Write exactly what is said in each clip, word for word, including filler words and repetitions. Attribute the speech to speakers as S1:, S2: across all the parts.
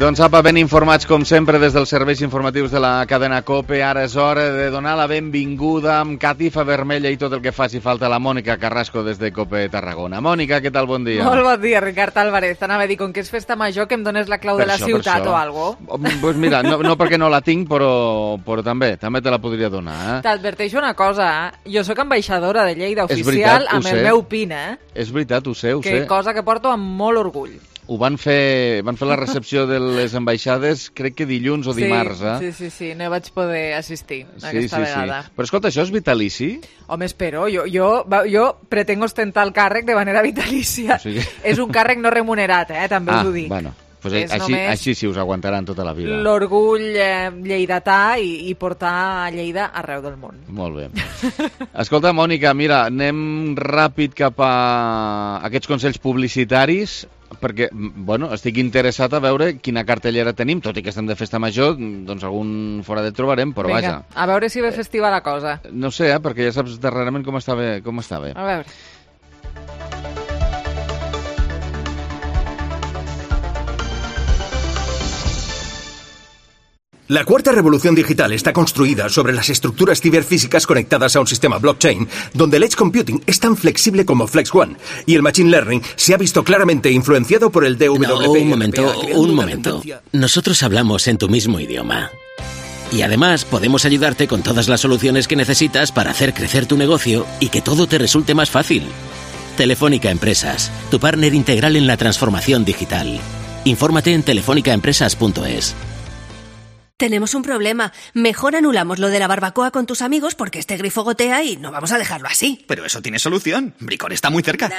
S1: Doncs apa, ben informats com sempre des dels serveis informatius de la cadena COPE. Ara és hora de donar la benvinguda amb catifa vermella i tot el que faci falta a la Mònica Carrasco des de COPE Tarragona. Mònica, què tal? Bon dia.
S2: Molt bon dia, Ricard Álvarez. T'anava a dir, com que és festa major, que em dones la clau
S1: per
S2: de la
S1: això,
S2: ciutat o algo.
S1: Pues mira, no, no perquè no la tinc, però, però també, també te la podria donar. Eh?
S2: T'adverteixo una cosa, eh? Jo sóc ambaixadora de Lleida
S1: És
S2: oficial
S1: veritat,
S2: amb
S1: ho
S2: el
S1: sé.
S2: meu pin, eh?
S1: És veritat, ho sé, ho
S2: Que
S1: sé.
S2: cosa que porto amb molt orgull.
S1: Ho van fer, van fer la recepció de les ambaixades, crec que dilluns o dimarts, eh?
S2: Sí, sí, sí, no vaig poder assistir
S1: Sí,
S2: aquesta
S1: sí,
S2: vegada.
S1: sí. Però escolta, això és vitalici?
S2: Home, espero, jo, jo, jo pretengo ostentar el càrrec de manera vitalícia.
S1: O sigui...
S2: És un càrrec no remunerat, eh? També
S1: ah,
S2: us ho dic.
S1: Bueno, pues
S2: És
S1: així,
S2: només
S1: així sí us aguantaran tota la vida.
S2: l'orgull eh, lleidatà i, i portar a Lleida arreu del món.
S1: Molt bé. Escolta, Mònica, mira, anem ràpid cap a aquests consells publicitaris, perquè, bueno, estic interessat a veure quina cartellera tenim, tot i que estem de festa major, doncs algun fora de trobarem, però
S2: Vinga,
S1: vaja.
S2: a veure si ve festiva la cosa.
S1: No sé, eh, perquè ja saps darrerament com està bé. Com està bé.
S2: A veure.
S3: La cuarta revolución digital está construida sobre las estructuras ciberfísicas conectadas a un sistema blockchain, donde el edge computing es tan flexible como FlexOne, y el machine learning se ha visto claramente influenciado por el D W P.
S4: No, un momento, un momento. Nosotros hablamos en tu mismo idioma. Y además podemos ayudarte con todas las soluciones que necesitas para hacer crecer tu negocio y que todo te resulte más fácil. Telefónica Empresas, tu partner integral en la transformación digital. Infórmate en telefónica empresas punto es.
S5: Tenemos un problema. Mejor anulamos lo de la barbacoa con tus amigos porque este grifo gotea y no vamos a dejarlo así.
S6: Pero eso tiene solución. Bricor está muy cerca.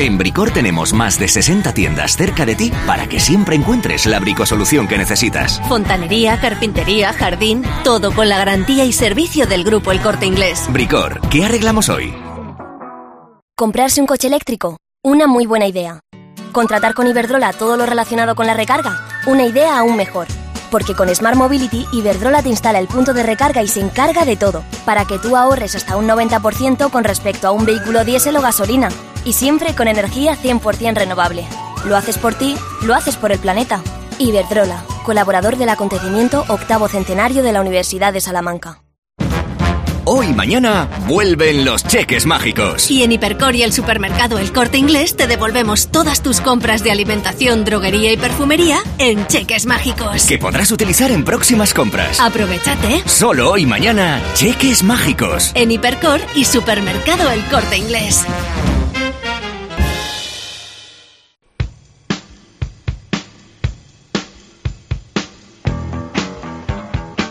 S6: En Bricor tenemos más de sesenta tiendas cerca de ti para que siempre encuentres la bricosolución que necesitas.
S5: Fontanería, carpintería, jardín, todo con la garantía y servicio del grupo El Corte Inglés.
S6: Bricor, ¿qué arreglamos hoy?
S7: Comprarse un coche eléctrico, una muy buena idea. Contratar con Iberdrola todo lo relacionado con la recarga, una idea aún mejor. Porque con Smart Mobility, Iberdrola te instala el punto de recarga y se encarga de todo, para que tú ahorres hasta un noventa por ciento con respecto a un vehículo diésel o gasolina, y siempre con energía cien por ciento renovable. Lo haces por ti, lo haces por el planeta. Iberdrola, colaborador del acontecimiento octavo centenario de la Universidad de Salamanca.
S6: Hoy y mañana vuelven los cheques mágicos.
S5: Y en Hipercor y el supermercado El Corte Inglés te devolvemos todas tus compras de alimentación, droguería y perfumería en cheques mágicos.
S6: Que podrás utilizar en próximas compras.
S5: Aprovechate.
S6: Solo hoy y mañana, cheques mágicos.
S5: En Hipercor y supermercado El Corte Inglés.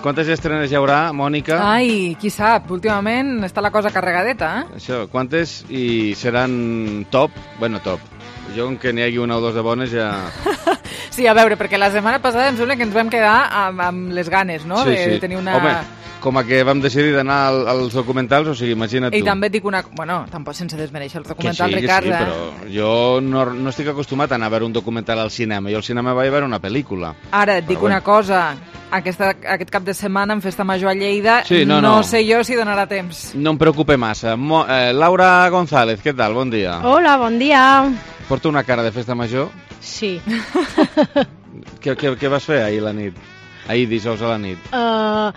S1: Quantes estrenes hi haurà, Mònica?
S2: Ai, qui sap, últimament està la cosa carregadeta, eh?
S1: Això, quantes i seran top? Bueno, top. Jo, com que n'hi hagi una o dos de bones, ja...
S2: Sí, a veure, perquè la setmana passada em sembla que ens vam quedar amb, amb les ganes, no?
S1: Sí,
S2: de,
S1: sí.
S2: de tenir una...
S1: Home, com a que vam decidir d'anar al, als documentals, o sigui, imagina't tu.
S2: I també et dic una... Bueno, tampoc sense desmereixer els
S1: Que
S2: documentals,
S1: sí,
S2: Ricard,
S1: que sí,
S2: eh?
S1: però jo no, no estic acostumat a anar a veure un documental al cinema. Jo al cinema vaig a veure una pel·lícula.
S2: Ara, et
S1: Però
S2: dic
S1: bueno.
S2: una cosa. Aquesta, aquest cap de setmana en Festa Major a Lleida,
S1: Sí, no,
S2: no,
S1: no.
S2: sé jo si donarà temps.
S1: No em preocupe massa. Mo, eh, Laura González, què tal? Bon dia.
S8: Hola, bon dia.
S1: Porto una cara de festa major.
S8: Sí.
S1: Què, què, què vas fer ahir a la nit? Ahir dijous a la nit.
S8: Uh,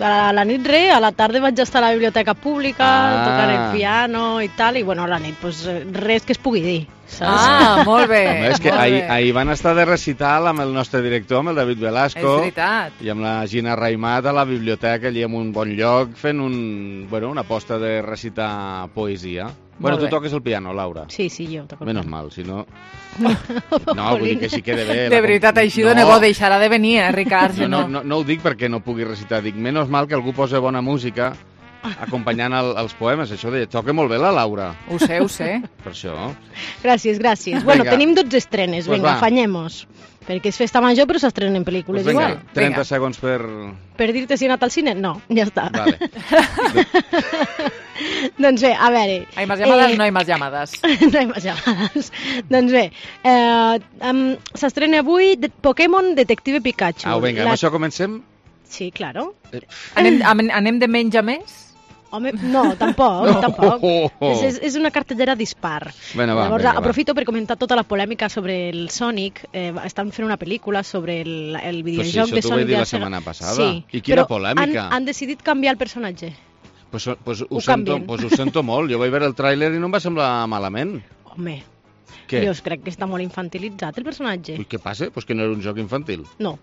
S8: a la nit res, a la tarda vaig estar a la biblioteca pública,
S1: Ah.
S8: tocant el piano i tal, i bueno, a la nit pues, res que es pugui dir. Saps?
S2: Ah, molt bé.
S1: Home, és que
S2: molt
S1: ahir,
S2: bé.
S1: ahir van estar de recital amb el nostre director, amb el David Velasco.
S2: És veritat.
S1: I amb la Gina Raimat a la biblioteca, allà en un bon lloc, fent un, bueno, una aposta de recitar poesia. Bueno, tu
S8: bé.
S1: toques el piano, Laura.
S8: Sí, sí, jo toco el
S1: Menos
S8: piano.
S1: mal, si no... No, vull dir que sí quede bé.
S2: De veritat, així de nebo deixarà de venir, eh, Ricard?
S1: No, no, no, no ho dic perquè no pugui recitar, dic, menys mal que algú posa bona música acompanyant el, els poemes, això de... Toca molt bé la Laura.
S2: Ho sé, ho sé.
S1: Per això.
S8: Gràcies, gràcies. Bueno,
S1: Vinga.
S8: tenim dotze estrenes,
S1: Pues
S8: vinga,
S1: va.
S8: afanyem-nos. Perquè és festa major, però s'estrenen pel·lícules
S1: Pues vinga,
S8: igual.
S1: trenta
S2: Vinga.
S1: segons per...
S8: Per dir-te si he anat al cine? No, ja està.
S1: Vale.
S8: Doncs bé, a veure...
S2: Hay más llamadas,
S8: eh,
S2: no hay más llamadas.
S8: no hay más llamadas. Doncs bé, eh, um, s'estrena avui de Pokémon Detective Pikachu.
S1: Au, vinga,
S8: La-
S1: amb això comencem?
S8: Sí, claro.
S1: Eh,
S2: Anem, anem, anem de menys a més?
S8: Home, no, tampoc,
S1: No.
S8: tampoc. És, és, és una cartellera dispar.
S1: Bueno, va,
S8: Llavors,
S1: vinga, va.
S8: aprofito per comentar tota la polèmica sobre el Sonic. Eh, estan fent una pel·lícula sobre el, el
S1: Però si
S8: videojoc
S1: això
S8: de
S1: t'ho vaig
S8: Sonic.
S1: dir
S8: de
S1: la
S8: Sega.
S1: setmana passada.
S8: Sí,
S1: I quina
S8: però
S1: polèmica.
S8: Han, han decidit canviar el personatge.
S1: Pues, pues, ho,
S8: Ho
S1: sento,
S8: canvien.
S1: pues ho sento molt. Jo vaig veure el tràiler i no em va semblar malament.
S8: Home,
S1: Què?
S8: jo crec que està molt infantilitzat el personatge.
S1: Ui, què passa? Pues que no era un joc infantil.
S8: No.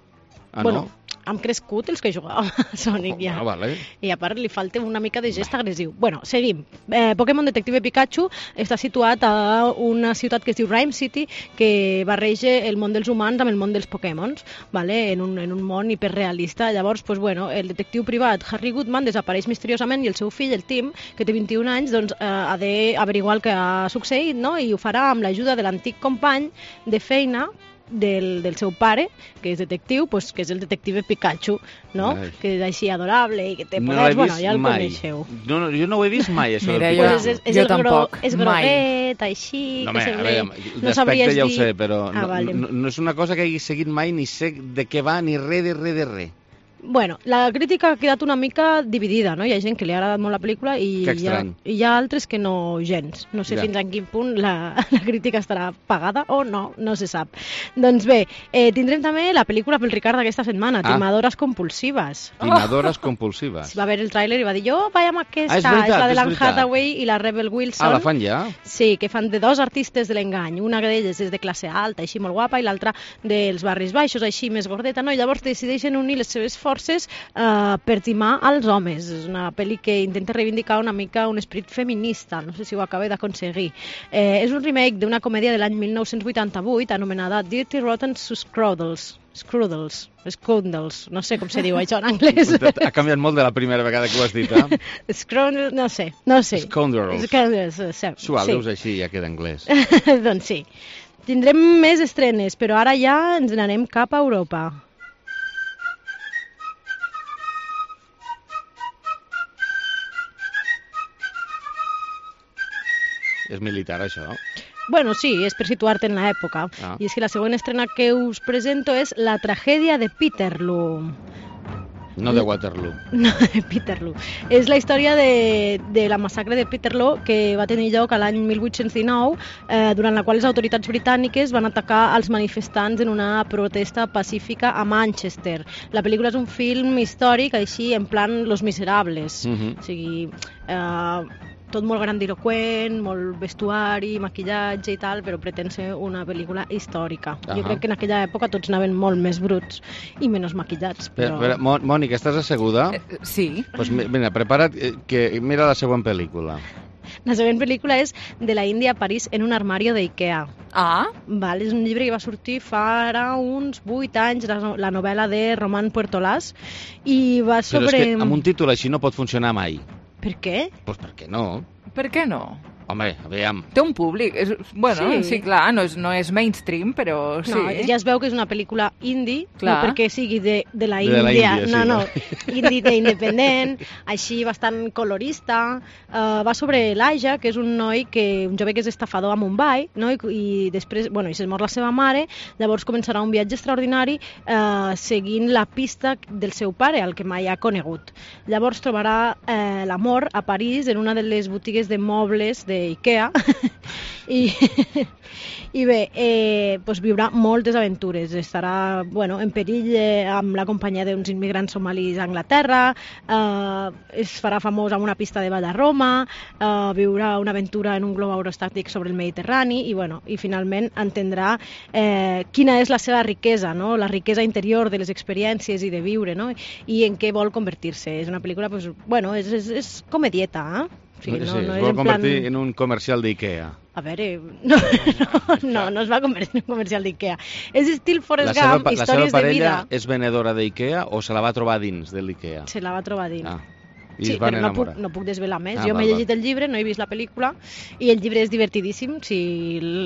S1: Ah,
S8: bueno,
S1: no?
S8: han crescut els que jugàvem a Sonic ja.
S1: Ah, vale.
S8: I a part li falta una mica de gest agressiu. Bueno, seguim. Eh, Pokémon Detective Pikachu està situat a una ciutat que es diu Rhyme City, que barreja el món dels humans amb el món dels Pokémons, vale? en, un, en un món hiperrealista. Llavors, pues, bueno, el detectiu privat Harry Goodman desapareix misteriosament i el seu fill, el Tim, que té vint-i-un anys, doncs, eh, ha d'averiguar el que ha succeït, no? I ho farà amb l'ajuda de l'antic company de feina del, del seu pare, que és detectiu, pues, que és el detective Pikachu, no?
S1: Ai.
S8: Que és així adorable i que té
S1: No
S8: poders,
S1: l'he
S8: bueno,
S1: vist
S8: ja el
S1: mai.
S8: coneixeu.
S1: No, no, jo no ho he vist mai, això
S2: Mira,
S1: del
S2: jo-
S1: Pikachu.
S8: Pues és, és
S2: Jo
S8: el gro,
S2: tampoc,
S8: és
S2: mai.
S8: groguet, així,
S1: No,
S8: que
S1: home, a
S8: sembla...
S1: veure,
S8: no
S1: d'aspecte
S8: sabries
S1: ja ho
S8: dir-
S1: sé, però
S8: Ah,
S1: no,
S8: vale.
S1: no, no és una cosa que hagi seguit mai ni sé de què va ni res de res de res.
S8: Bueno, la crítica ha quedat una mica dividida, no? Hi ha gent que li ha agradat molt la pel·lícula i,
S1: Que
S8: hi ha,
S1: estrany.
S8: i hi ha altres que no gens. No sé
S1: Ja.
S8: fins a quin punt la, la crítica estarà pagada o no, no se sap. Doncs bé, eh, tindrem també la pel·lícula pel Ricard d'aquesta setmana,
S1: Ah.
S8: Timadores compulsives.
S1: Timadores compulsives.
S8: Va veure el tràiler i va dir, jo vaig amb aquesta,
S1: Ah, és veritat,
S8: la de
S1: és
S8: l'Anne
S1: veritat.
S8: Hathaway i la Rebel Wilson.
S1: Ah, la fan ja?
S8: Sí, que fan de dos artistes de l'engany. Una d'elles és de classe alta, així molt guapa, i l'altra dels barris baixos, així més gordeta, no? I llavors decideixen unir les seves forces eh, per timar als homes. És una pel·li que intenta reivindicar una mica un esperit feminista, no sé si ho acaba d'aconseguir. Eh, és un remake d'una comèdia de l'any mil nou-cents vuitanta-vuit anomenada Dirty Rotten Screwdles. Screwdles, Screwdles, no sé com se diu això en anglès.
S1: Ha canviat molt de la primera vegada que ho has dit, eh?
S8: Screwdles, no sé, no sé.
S1: Scoundrels.
S8: Scoundrels, sí.
S1: Suau,
S8: sí.
S1: deus així, ja queda anglès.
S8: Doncs sí. Tindrem més estrenes, però ara ja ens n'anem cap a Europa.
S1: És militar, això.
S8: Bueno, sí, és per situar-te en l'època.
S1: Ah.
S8: I és que la següent estrena que us presento és La tragèdia de Peterloo.
S1: No de Waterloo.
S8: No, de Peterloo. És la història de, de la massacre de Peterloo que va tenir lloc a l'any mil vuit-cents dinou, eh, durant la qual les autoritats britàniques van atacar els manifestants en una protesta pacífica a Manchester. La pel·lícula és un film històric, així, en plan Los Miserables.
S1: Mhm.
S8: O sigui, eh, tot molt grandiloquent, molt vestuari, maquillatge i tal, però pretén ser una pel·lícula històrica.
S1: Ahà.
S8: Jo crec que en aquella època tots anaven molt més bruts i menys maquillats.
S1: Però...
S8: Però...
S1: Però, Mònica, estàs asseguda?
S2: Eh, Sí.
S1: Pues mi- mira, prepara't, eh, que mira la següent pel·lícula.
S8: La següent pel·lícula és De la Índia a París en un armario d'Ikea.
S2: Ah,
S8: Val, és un llibre que va sortir fa ara uns vuit anys, la, no- la novel·la de Roman Puertolàs, i va
S1: Però
S8: sobre...
S1: és que amb un títol així no pot funcionar mai.
S8: Per què?
S1: Pues per què no?
S2: per què no?
S1: Home, aviam.
S2: Té un públic. És, bueno,
S8: Sí.
S2: sí, sí clar, no és, no és mainstream, però sí.
S8: No, ja es veu que és una pel·lícula indie,
S2: Clar.
S8: no perquè sigui de, de la
S1: De la
S8: Índia,
S1: Índia, sí,
S8: no, no,
S1: no.
S8: indie de independent, així bastant colorista. Uh, va sobre l'Aja, que és un noi, que un jove que és estafador a Mumbai, no? I, i després, bueno, i se'n mor la seva mare, llavors començarà un viatge extraordinari uh, seguint la pista del seu pare, el que mai ha conegut. Llavors trobarà eh, l'amor a París en una de les botigues de mobles d'Ikea i, i bé, eh, doncs viurà moltes aventures. Estarà, bueno, en perill eh, amb la companyia d'uns immigrants somalis a Anglaterra, eh, es farà famós amb una pista de ball a Roma, eh, viurà una aventura en un globo aerostàtic sobre el Mediterrani i, bueno, i finalment entendrà eh, quina és la seva riquesa, no? La riquesa interior de les experiències i de viure, no? I en què vol convertir-se. És una pel·lícula, pues, bueno, és, és, és comedieta, eh?
S1: Sí,
S8: no,
S1: sí,
S8: no
S1: es
S8: és
S1: vol
S8: en
S1: convertir
S8: plan...
S1: en un comercial d'Ikea.
S8: A veure, no, no, no, no es va convertir en un comercial d'Ikea. És estil Forrest
S1: La seva,
S8: Gump,
S1: pa- la seva
S8: històries de
S1: parella
S8: vida.
S1: és venedora d'Ikea o se la va trobar dins de l'Ikea?
S8: Se la va trobar dins.
S1: Ah, i
S8: Sí,
S1: es van
S8: però no puc,
S1: enamorar.
S8: no puc desvelar més.
S1: Ah,
S8: jo m'he
S1: val,
S8: llegit
S1: val.
S8: el llibre, no he vist la pel·lícula, i el llibre és divertidíssim, si,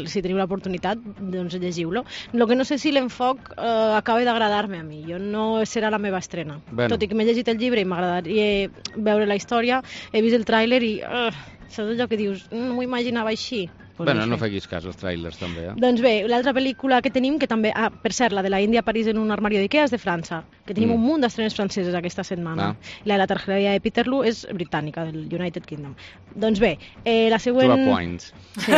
S8: si teniu l'oportunitat, doncs llegiu-lo. El que no sé si l'enfoc eh, acaba d'agradar-me a mi, jo no serà la meva estrena.
S1: Bueno.
S8: Tot i que m'he llegit el llibre i m'agradaria veure la història, he vist el tràiler i... Uh, saps allò que dius, no m'ho imaginava així. Pues
S1: bueno,
S8: això.
S1: no facis cas als trailers, també, eh?
S8: Doncs bé, l'altra pel·lícula que tenim, que també, ah, per cert, la de la Índia a París en un armario d'Ikea és de França, que tenim
S1: Mm.
S8: un munt d'estrenes franceses aquesta setmana.
S1: Ah.
S8: La de la tragedia de Peterloo és britànica, del United Kingdom. Doncs bé, eh, la següent...
S1: Two points.
S8: Sí.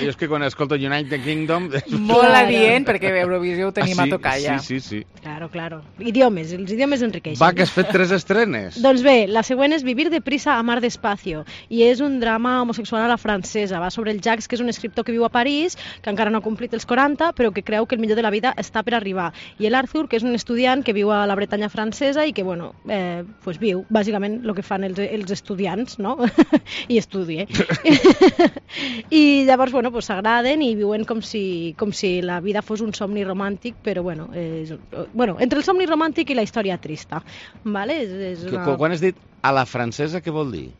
S1: Jo és que quan escolto United Kingdom...
S2: Molt
S8: Claro.
S2: adient, perquè Eurovisió ho tenim
S1: Ah,
S2: a
S1: sí?
S2: tocar ja.
S1: Sí, sí, sí.
S8: Claro, claro. Idiomes, els idiomes enriqueixen.
S1: Va, que has fet tres estrenes.
S8: Doncs bé, la següent és Vivir deprisa, amar despacio, i és un drama homosexual a la francesa. Va sobre el Jacques, que és un escriptor que viu a París, que encara no ha complit els quaranta, però que creu que el millor de la vida està per arribar. I l'Arthur, que és un estudiant que viu a la Bretanya francesa i que, bueno, eh, pues viu, bàsicament, el que fan els, els estudiants, no? I estudia. I llavors, bueno, pues s'agraden i viuen com si, com si la vida fos un somni romàntic, però, bueno, és, bueno, entre el somni romàntic i la història trista, vale? És, és una...
S1: Quan has dit a la francesa, què vol dir?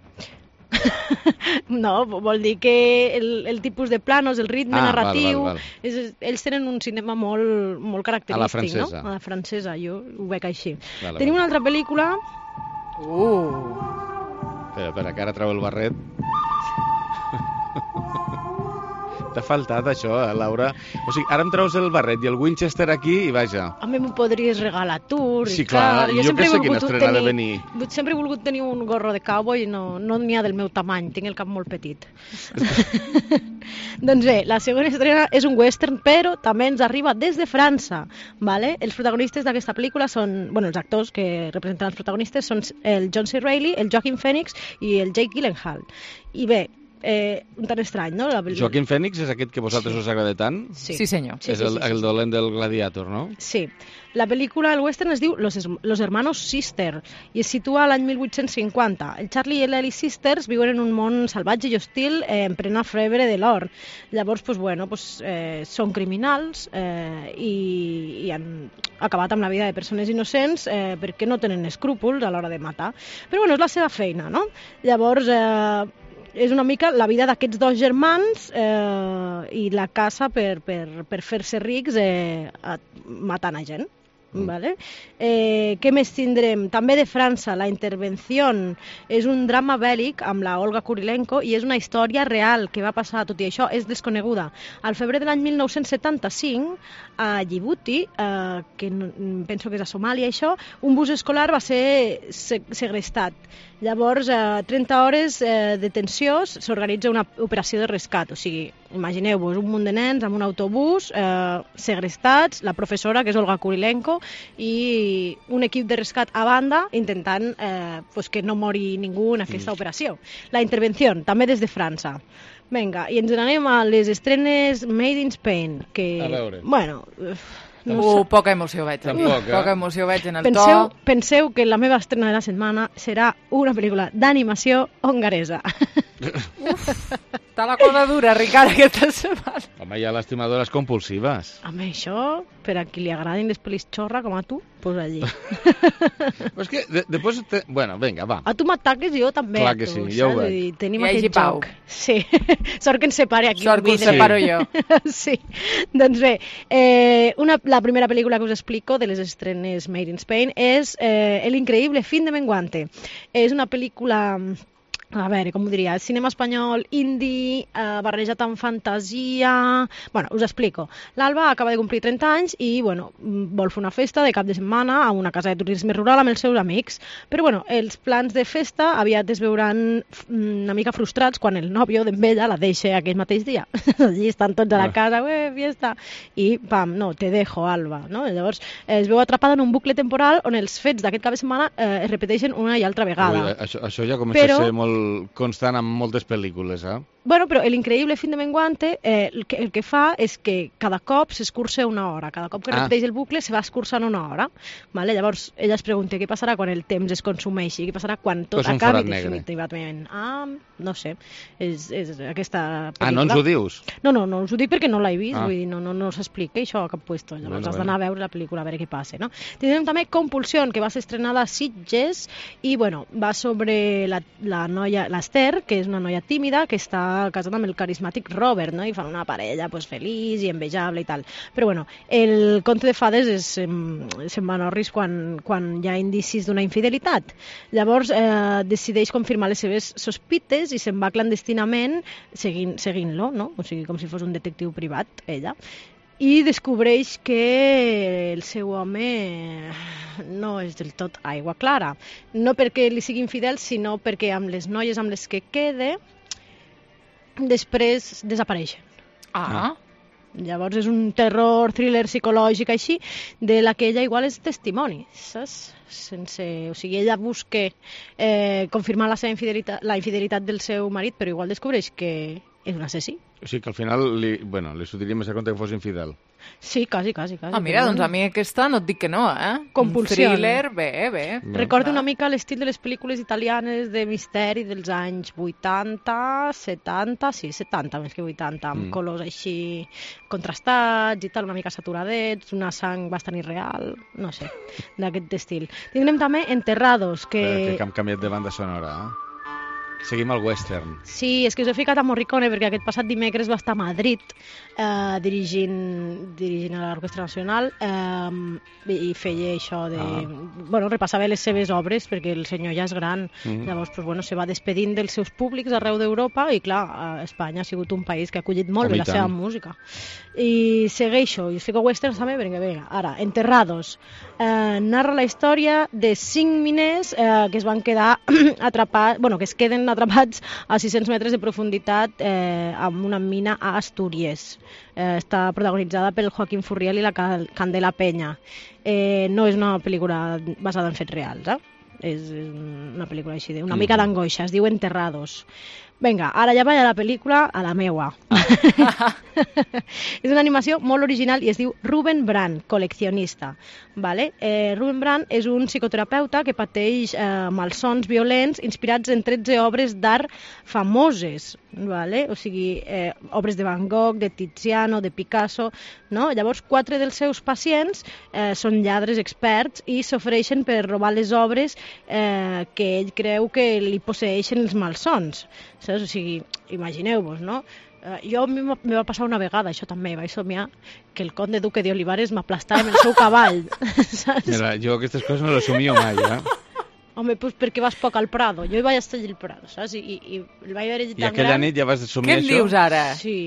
S8: No, vol dir que el, el tipus de planos, el ritme
S1: Ah,
S8: narratiu,
S1: val, val, val.
S8: És, ells tenen un cinema molt, molt característic,
S1: A la francesa.
S8: no? A la francesa, jo ho veig així.
S1: Vale,
S8: Tenim
S1: vale.
S8: una altra pel·lícula...
S2: Uh,
S1: Espera, espera, que ara treu el barret. T'ha faltat això, eh, Laura? O sigui, ara em treus el barret i el Winchester aquí i vaja.
S8: A mi m'ho podries regalar tu,
S1: Sí,
S8: Ricard.
S1: clar, jo
S8: sempre
S1: que
S8: he
S1: sé quina
S8: volgut
S1: estrena ha de
S8: tenir-
S1: venir.
S8: Sempre he volgut tenir un gorro de cowboy i no no n'hi ha del meu tamany, tinc el cap molt petit. Doncs bé, la segona estrena és un western, però també ens arriba des de França. Vale? Els protagonistes d'aquesta pel·lícula són, bueno, els actors que representen els protagonistes són el John C. Reilly, el Joaquin Phoenix i el Jake Gyllenhaal. I bé, eh, un tan estrany, no? La pel·lícula.
S1: Joaquin Phoenix és aquest que a vosaltres
S8: Sí.
S1: us agrada tant?
S8: Sí.
S2: sí, senyor.
S8: Sí,
S1: és
S8: sí,
S1: el,
S8: sí, sí,
S1: el
S8: sí.
S1: dolent del Gladiator, no?
S8: Sí. La pel·lícula, el western, es diu Los, Los Hermanos Sister i es situa a l'any mil vuit-cents cinquanta. El Charlie i l'Ellie Sisters viuen en un món salvatge i hostil eh, en plena febre de l'or. Llavors, pues, bueno, pues, eh, són criminals eh, i, i han acabat amb la vida de persones innocents eh, perquè no tenen escrúpols a l'hora de matar. Però bueno, és la seva feina, no? Llavors, eh, és una mica la vida d'aquests dos germans eh, i la caça per, per, per fer-se rics eh, a, matant a gent. Mm. Vale? Eh, què més tindrem? També de França, La Intervenció és un drama bèl·lic amb la Olga Kurilenko i és una història real que va passar, tot i això és desconeguda. Al febrer de l'any mil nou-cents setanta-cinc, a Djibouti, eh, que no, penso que és a Somàlia això, un bus escolar va ser segrestat. Llavors, a eh, trenta hores eh, de tensió, s'organitza una operació de rescat. O sigui, imagineu-vos un munt de nens amb un autobús, eh, segrestats, la professora, que és Olga Kurilenko, i un equip de rescat a banda intentant eh, pues que no mori ningú en aquesta
S1: Mm.
S8: operació. La Intervenció, també des de França. Vinga, i ens n'anem a les estrenes Made in Spain, que...
S1: A veure.
S8: Bueno... uf, no
S2: Uh,
S8: sé.
S2: poca emoció veig. aquí.
S1: Tampoc, eh?
S2: Poca emoció veig en el
S8: Penseu,
S2: to.
S8: penseu que la meva estrena de la setmana serà una pel·lícula d'animació hongaresa.
S2: Està la cosa dura, Ricard, aquesta setmana.
S1: Home, hi ha les estimadores compulsives.
S8: A mi això, per a qui li agradin les pel·lis xorra com a tu, pues allí.
S1: Però és que de, després... Te... Bueno, vinga, va.
S8: A tu m'ataques i jo també.
S1: Clar
S8: a
S1: que
S8: tu,
S1: sí, ja ho
S8: saps?
S1: veig.
S8: Vull dir, tenim
S2: Hi hagi
S8: aquest
S2: pau.
S8: joc. Sí. Sort que ens separe aquí.
S2: Sort que
S8: un
S2: us
S8: vidre.
S2: separo jo.
S8: Sí. Doncs bé, eh, una, la primera pel·lícula que us explico de les estrenes Made in Spain és eh, El increïble fin de Menguante. És una pel·lícula... A veure, com ho diria, cinema espanyol indie, eh, barrejat amb fantasia... Bueno, us explico. L'Alba acaba de complir trenta anys i, bueno, vol fer una festa de cap de setmana a una casa de turisme rural amb els seus amics. Però, bueno, els plans de festa aviat es veuran una mica frustrats quan el nòvio d'en ella la deixa aquell mateix dia. Allí estan tots a la casa, ué, fiesta, i pam, no, te dejo, Alba, no? Llavors es veu atrapada en un bucle temporal on els fets d'aquest cap de setmana eh, es repeteixen una i altra vegada.
S1: Ui, això, això ja comença
S8: Però-
S1: a ser molt constant en moltes pel·lícules, eh?
S8: Bueno, però l'increïble fin de Menguante eh, el, que, el que fa és que cada cop s'escurça una hora. Cada cop que
S1: Ah.
S8: repeteix el bucle se va escurçant una hora. Vale? Llavors ella es pregunta què passarà quan el temps es consumeixi, què passarà quan tot
S1: Pues un
S8: acabi
S1: forat negre.
S8: definitivament. Ah, no sé, és, és aquesta pel·lícula.
S1: Ah, no ens ho dius?
S8: No, no, no us ho dic perquè no l'he vist,
S1: Ah.
S8: vull dir, no, no, no s'explica això a cap puesto. Llavors
S1: Bueno,
S8: has
S1: bueno.
S8: d'anar a veure la pel·lícula a veure què passa, no? Tindrem també Compulsió, que va ser estrenada a Sitges i, bueno, va sobre la, la noia, l'Ester, que és una noia tímida que està està casat amb el carismàtic Robert, no? I fan una parella pues, feliç i envejable i tal. Però bueno, el conte de fades és, se'n va norris quan, quan hi ha indicis d'una infidelitat. Llavors eh, decideix confirmar les seves sospites i se'n va clandestinament seguint, seguint-lo, no? O sigui, com si fos un detectiu privat, ella. I descobreix que el seu home no és del tot aigua clara. No perquè li sigui infidel, sinó perquè amb les noies amb les que quede després desapareixen.
S2: Ah.
S8: Llavors és un terror, thriller psicològic així, de la que ella igual és testimoni, saps? Sense, o sigui, ella busca eh, confirmar la seva infidelitat, la infidelitat del seu marit, però igual descobreix que és un assassí.
S1: O sigui que al final li, bueno, li sortiria més a compte que fos infidel.
S8: Sí, quasi, quasi. quasi
S2: Ah, mira, doncs a mi aquesta no et dic que no, eh?
S8: Compulsió.
S2: Un thriller, bé, bé.
S8: Recorda una mica l'estil de les pel·lícules italianes de misteri dels anys vuitanta, setanta, sí, setanta més que vuitanta, amb mm. colors així contrastats i tal, una mica saturadets, una sang bastant irreal, no sé, d'aquest estil. Tindrem també Enterrados, que...
S1: Espera, que hem canviat de banda sonora, eh? Seguim al western.
S8: Sí, és que us he ficat a Morricone perquè aquest passat dimecres va estar a Madrid eh, dirigint, dirigint a l'Orquestra Nacional eh, i feia això de... Ah. Bueno, repassava les seves obres perquè el senyor ja és gran. Mm-hmm. Llavors, pues, bueno, se va despedint dels seus públics arreu d'Europa i, clar, Espanya ha sigut un país que ha acollit molt bé la seva música. I segueixo, i us fico westerns també perquè, vinga, ara, Enterrados. Eh, narra la història de cinc miners eh, que es van quedar atrapats, bueno, que es queden atrapats a sis-cents metres de profunditat eh, amb una mina a Astúries. Eh, està protagonitzada pel Joaquín Furriel i la Candela Peña. Eh, no és una pel·lícula basada en fets reals, eh? És una pel·lícula així, una mica d'angoixa, es diu Enterrados. Vinga, ara ja vaig a la pel·lícula, a la meua. És una animació molt original i es diu Ruben Brandt, col·leccionista. Vale? Eh, Ruben Brandt és un psicoterapeuta que pateix eh, malsons violents inspirats en tretze obres d'art famoses. Vale? O sigui, eh, obres de Van Gogh, de Tiziano, de Picasso, no? Llavors, quatre dels seus pacients eh, són lladres experts i s'ofereixen per robar les obres eh, que ell creu que li posseeixen els malsons. Saps? O sigui, imagineu-vos, no? Uh, jo a mi me va passar una vegada, això també, vaig somiar que el conde duque de Olivares m'aplastava amb el seu cavall. Saps?
S1: Mira, jo aquestes coses no les somio mai, eh?
S8: Home, pues perquè vas poc al Prado. Jo hi vaig estar allà al Prado, saps? I, i, i el vaig veure tan gran...
S1: I aquella nit ja vas somiar
S2: això? Què em dius ara?
S8: Sí.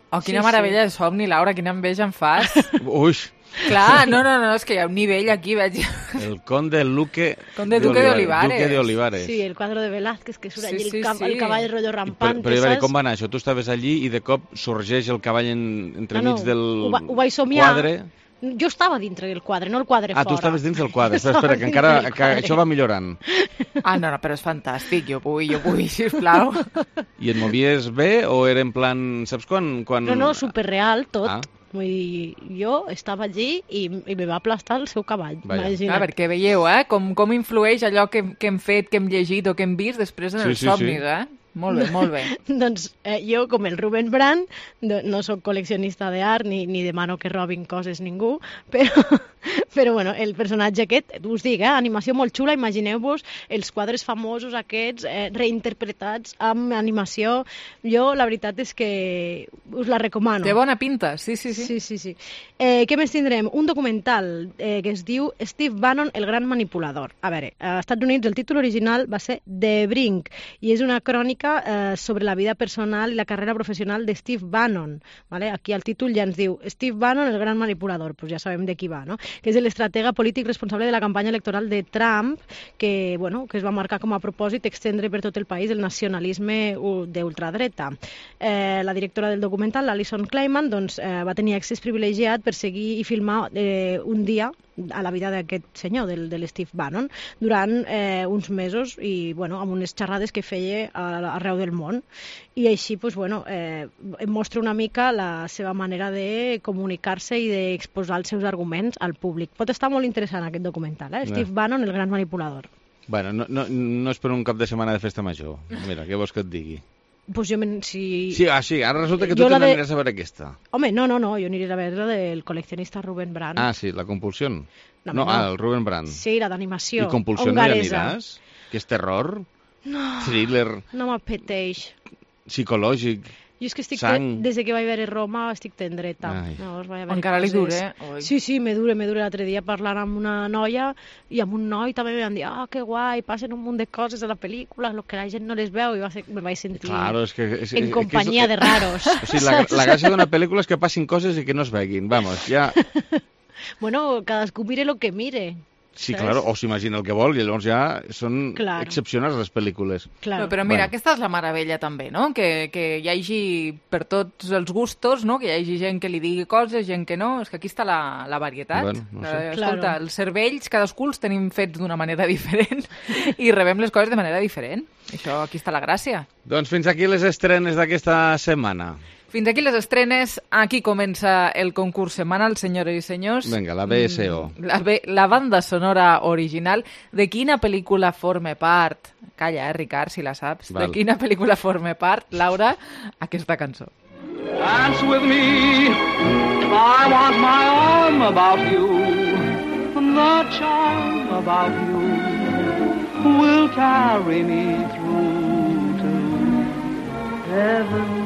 S2: Oh, quina
S8: sí,
S2: meravella
S8: sí.
S2: de somni, Laura, quina enveja em fas.
S1: Uix.
S2: Clar, no, no, no, és que hi ha un nivell aquí, veig.
S1: El conde Luque
S2: conde Duque de Olivares.
S1: Duque de Olivares.
S8: Sí, el quadre de Velázquez, que surt
S2: sí,
S8: allí
S2: sí,
S8: el, cap,
S2: sí.
S8: el cavall rotllo rampant,
S1: però, però,
S8: saps?
S1: Com va anar això? Tu estaves allí i de cop sorgeix el cavall en, entremig
S8: no, no,
S1: del
S8: ho, va, ho vaig somiar.
S1: quadre...
S8: Jo estava dintre del quadre, no el quadre
S1: ah,
S8: fora.
S1: Ah, tu estaves dins del quadre. Espera, espera, que encara que això va millorant.
S2: Ah, no, no, però és fantàstic. Jo vull, jo vull, sisplau.
S1: I et movies bé o era en plan... Saps quan... quan...
S8: No, no, superreal tot.
S1: Ah.
S8: Vull dir, jo estava allí i, i me va aplastar el seu cavall.
S2: Ah, perquè veieu, eh? Com, com influeix allò que, que hem fet, que hem llegit o que hem vist després en
S1: sí,
S2: els
S1: sí,
S2: somnis,
S1: sí.
S2: eh? Molt bé, molt bé.
S8: Doncs eh, jo, com el Ruben Brandt, no soc col·leccionista d'art ni, ni demano que robin coses ningú, però, però bueno, el personatge aquest, us dic, eh, animació molt xula, imagineu-vos els quadres famosos aquests eh, reinterpretats amb animació. Jo, la veritat és que us la recomano.
S2: Té bona pinta, sí, sí, sí.
S8: sí, sí, sí. Eh, què més tindrem? Un documental eh, que es diu Steve Bannon, el gran manipulador. A veure, als Estats Units el títol original va ser The Brink i és una crònica Eh, sobre la vida personal i la carrera professional de Steve Bannon. ¿Vale? Aquí al títol ja ens diu Steve Bannon, el gran manipulador, pues ja sabem de qui va, no? Que és l'estratega polític responsable de la campanya electoral de Trump, que, bueno, que es va marcar com a propòsit extendre per tot el país el nacionalisme d'ultradreta. Eh, la directora del documental, l'Alison Kleiman, doncs, eh, va tenir accés privilegiat per seguir i filmar eh, un dia a la vida d'aquest senyor, del, de l'Steve Bannon, durant eh, uns mesos i, bueno, amb unes xerrades que feia a, arreu del món. I així, pues, bueno, eh, mostra una mica la seva manera de comunicar-se i d'exposar els seus arguments al públic. Pot estar molt interessant aquest documental, eh? Steve Bannon, el gran manipulador.
S1: Bueno, no, no, no és per un cap de setmana de festa major. Mira, què vols que et digui?
S8: Pues jo, si...
S1: Sí, ah, sí, ara resulta que tu també de... aniràs a veure aquesta.
S8: Home, no, no, no, jo aniré a veure la del col·leccionista Ruben Brandt.
S1: Ah, sí, la Compulsión.
S8: No,
S1: no,
S8: no.
S1: ah, el Ruben Brandt.
S8: Sí, la d'animació.
S1: I Compulsió no hi aniràs? Que és terror?
S8: No,
S1: thriller?
S8: no m'apeteix.
S1: psicològic.
S8: Jo és que estic,
S1: sang.
S8: des de que vaig veure Roma, estic tendreta. Llavors, vaig veure
S2: Encara li
S8: coses.
S2: dura, eh? Oi.
S8: Sí, sí, me dura, me dura. L'altre dia parlant amb una noia i amb un noi també me van dir, ah, que guai, passen un munt de coses a la pel·lícula, el que la gent no les veu, i va ser, me vaig sentir
S1: Claro, és que, és,
S8: en
S1: és,
S8: companyia
S1: és,
S8: de raros.
S1: O sigui, la, la gràcia d'una pel·lícula és que passin coses i que no es veguin. Vamos, ja...
S8: Bueno, cadascú mire el que mire.
S1: Sí,
S8: ¿sabes?
S1: claro, o s'imagina el que vol, i llavors ja són
S8: Claro.
S1: excepcionals les pel·lícules.
S8: Claro.
S2: No, però mira,
S1: Bueno.
S2: aquesta és la meravella també, no? Que, que hi hagi per tots els gustos, no? Que hi hagi gent que li digui coses, gent que no. És que aquí està la, la varietat.
S1: Bueno, no sé.
S2: Eh, escolta,
S8: Claro.
S2: els cervells, cadascú els tenim fets d'una manera diferent i rebem les coses de manera diferent. Això, aquí està la gràcia.
S1: Doncs fins aquí les estrenes d'aquesta setmana.
S2: Fins aquí les estrenes. Aquí comença el concurs setmanal, senyores i senyors.
S1: Vinga, la B S O.
S2: La, B- la banda sonora original. De quina pel·lícula forma part? Calla, eh, Ricard, si la saps.
S1: Val.
S2: De quina pel·lícula forma part, Laura, aquesta cançó?
S9: Dance with me, I want my arm about you, the charm about you will carry me through to heaven.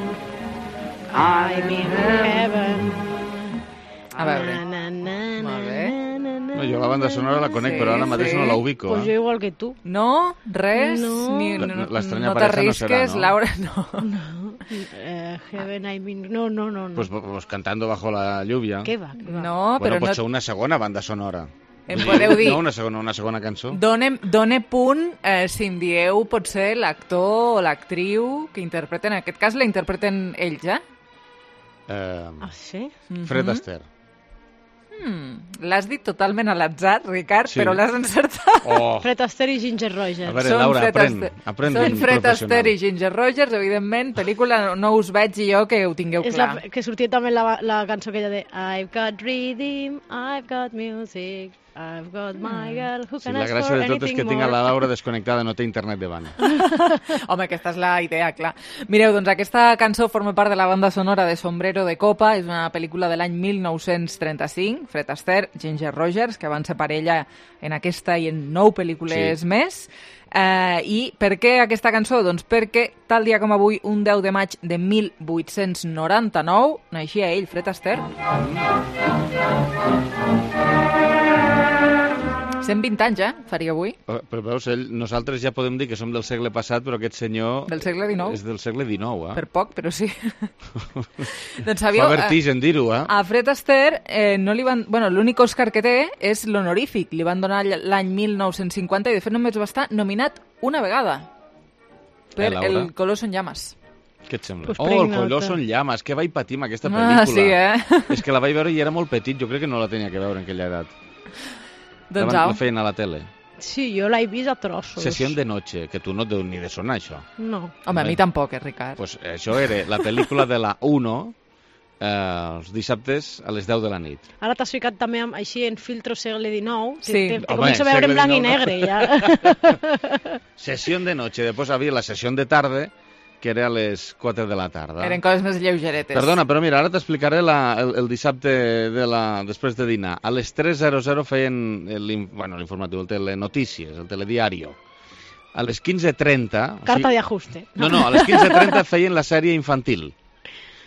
S8: I'm in heaven.
S2: A veure.
S8: Na, na, na,
S2: Molt bé.
S8: na, na, na,
S1: No, jo la banda sonora la conec,
S2: Sí,
S1: però ara mateix
S2: sí.
S1: no la ubico.
S8: Pues jo
S1: Eh?
S8: igual que tu.
S2: No? Res?
S8: No.
S2: Ni,
S1: La-
S2: no,
S1: l'estranya
S2: no
S1: pareja no
S2: t'arrisques,
S1: serà, no?
S2: Laura? No.
S8: No. Eh, heaven, I mean... No, no, no. no.
S1: Pues, pues cantando bajo la lluvia.
S8: Què va? Què va?
S2: No,
S1: Bueno,
S2: però
S1: pot
S2: no...
S1: ser una segona banda sonora.
S2: Em podeu dir...
S1: No, una segona, una segona cançó.
S2: Done, done punt eh, si em dieu potser l'actor o l'actriu que interpreten, en aquest cas la interpreten ells, eh?
S1: Eh,
S8: Ah, sí?
S1: Fred
S2: Mhm.
S1: Astaire.
S2: Mm, l'has dit totalment a l'atzar, Ricard,
S1: Sí.
S2: però l'has encertat.
S1: Oh,
S8: Fred Astaire i Ginger Rogers.
S1: A veure,
S2: Són
S1: Laura,
S2: Fred
S1: aprèn,
S2: Astaire-
S1: aprèn
S2: Són
S1: d'un
S2: Fred
S1: professional.
S2: Astaire i Ginger Rogers, evidentment, pel·lícula no, no us veig jo que ho tingueu
S8: És
S2: clar.
S8: la, que sortia també la, la cançó aquella de I've got rhythm, I've got music, I've got my girl, who
S1: Sí,
S8: can
S1: la
S8: ask
S1: gràcia
S8: for
S1: de tot és
S8: anything
S1: que tinc a
S8: more?
S1: la Laura desconnectada, no té internet davant.
S2: Home, aquesta és la idea, clar. Mireu, doncs aquesta cançó forma part de la banda sonora de Sombrero de Copa, és una pel·lícula de l'any mil nou-cents trenta-cinc, Fred Astaire, Ginger Rogers, que van ser parella en aquesta i en nou pel·lícules
S1: Sí.
S2: més. Eh, I per què aquesta cançó? Doncs perquè tal dia com avui, un deu de maig de mil vuit-cents noranta-nou, naixia ell, Fred Astaire. cent vint anys, eh? Faria avui.
S1: Eh, Però veus, ell, nosaltres ja podem dir que som del segle passat, però aquest senyor
S2: Del segle dinou.
S1: és del segle dinou, eh?
S2: Per poc, però sí. doncs
S1: Fa
S2: sabíeu... eh,
S1: vertigen dir-ho, eh?
S2: A Fred Astaire eh, no li van... Bueno, l'únic Òscar que té és l'honorífic. Li van donar l'any mil nou-cents cinquanta i de fet només va estar nominat una vegada per
S1: Eh, Laura?
S2: El color són llames.
S1: Què et sembla?
S8: Pues
S1: oh, el
S8: prenc
S1: color
S8: nota.
S1: són llames, que vaig patir amb aquesta
S2: Ah,
S1: pel·lícula.
S2: sí, eh?
S1: És que la vaig veure i era molt petit, jo crec que no la tenia que veure en aquella edat.
S2: Doncs
S1: la,
S2: au.
S1: la feien a la tele.
S8: Sí, jo l'he vist a trossos.
S1: Sessió de noche, que tu no et deu ni de sonar, això.
S8: No.
S2: Home, a mi tampoc, eh, Ricard.
S1: Pues això era la pel·lícula de la uno, eh, els dissabtes a les deu de la nit.
S8: Ara t'has ficat també amb, així en filtro segle dinou.
S2: Sí.
S8: Te, te
S1: Home,
S8: començo a veure en
S1: segle
S8: blanc i
S1: dinou no.
S8: negre, ja.
S1: Sessió de noche, després havia la sessió de tarde, que era a les quatre de la tarda.
S2: Eren coses més lleugeretes.
S1: Perdona, però mira, ara t'explicaré la- el, el dissabte de la, després de dinar. A les tres zero zero feien l'in- bueno, l'informatiu, el telenotícies, el telediario. A les quinze trenta...
S8: Carta de ajuste.
S1: No, no, a les quinze trenta feien la sèrie infantil.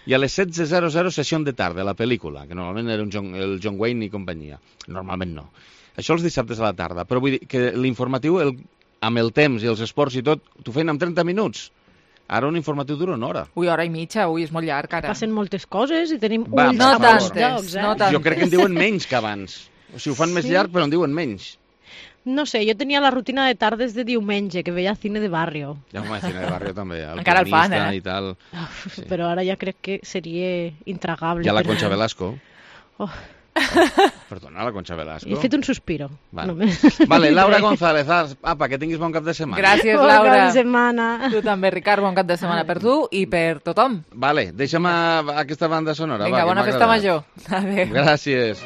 S1: I a les setze zero zero sessió de tarda, la pel·lícula, que normalment era un John, el John Wayne i companyia. Normalment no. Això els dissabtes a la tarda. Però vull dir que l'informatiu, el, amb el temps i els esports i tot, t'ho feien en trenta minuts. Ara un informatiu dura una hora.
S2: Ui, hora i mitja, ui, és molt llarg, ara.
S8: Passen moltes coses i tenim
S1: Va,
S8: ulls
S1: no
S8: a molts
S2: tantes,
S8: llocs, eh?
S2: no tantes.
S1: Jo crec que en diuen menys que abans. O sigui, ho fan més
S8: Sí.
S1: llarg, però en diuen menys.
S8: No sé, jo tenia la rutina de tardes de diumenge, que veia cine de barrio.
S1: Ja m'ho imagino, de barrio també. El
S2: Encara el fan,
S1: pianista
S2: eh?
S1: I tal.
S8: Sí. Però ara ja crec que seria intragable.
S1: Hi ha la
S8: per-
S1: Concha Velasco.
S8: Oh,
S1: Perdona, la Concha Velasco.
S8: he fet un sospiro.
S1: Vale,
S8: només.
S1: vale Laura González, apa, que tinguis bon cap de setmana.
S2: Gràcies,
S8: Bon
S2: Laura.
S8: cap de setmana.
S2: Tu també, Ricard, bon cap de setmana per tu i per tothom.
S1: Vale, deixa'm a- aquesta banda sonora.
S2: Vinga,
S1: va, que
S2: bona
S1: m'ha
S2: festa
S1: agradat.
S2: major. Adéu.
S1: Gràcies.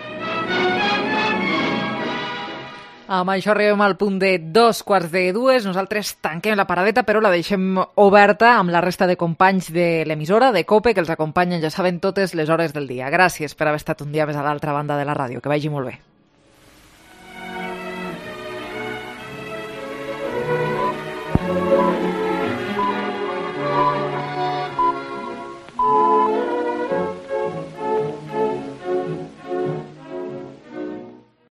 S2: Amb això arribem al punt de dos quarts de dues. Nosaltres tanquem la paradeta, però la deixem oberta amb la resta de companys de l'emissora, de COPE, que els acompanyen, ja saben, totes les hores del dia. Gràcies per haver estat un dia més a l'altra banda de la ràdio. Que vagi molt bé.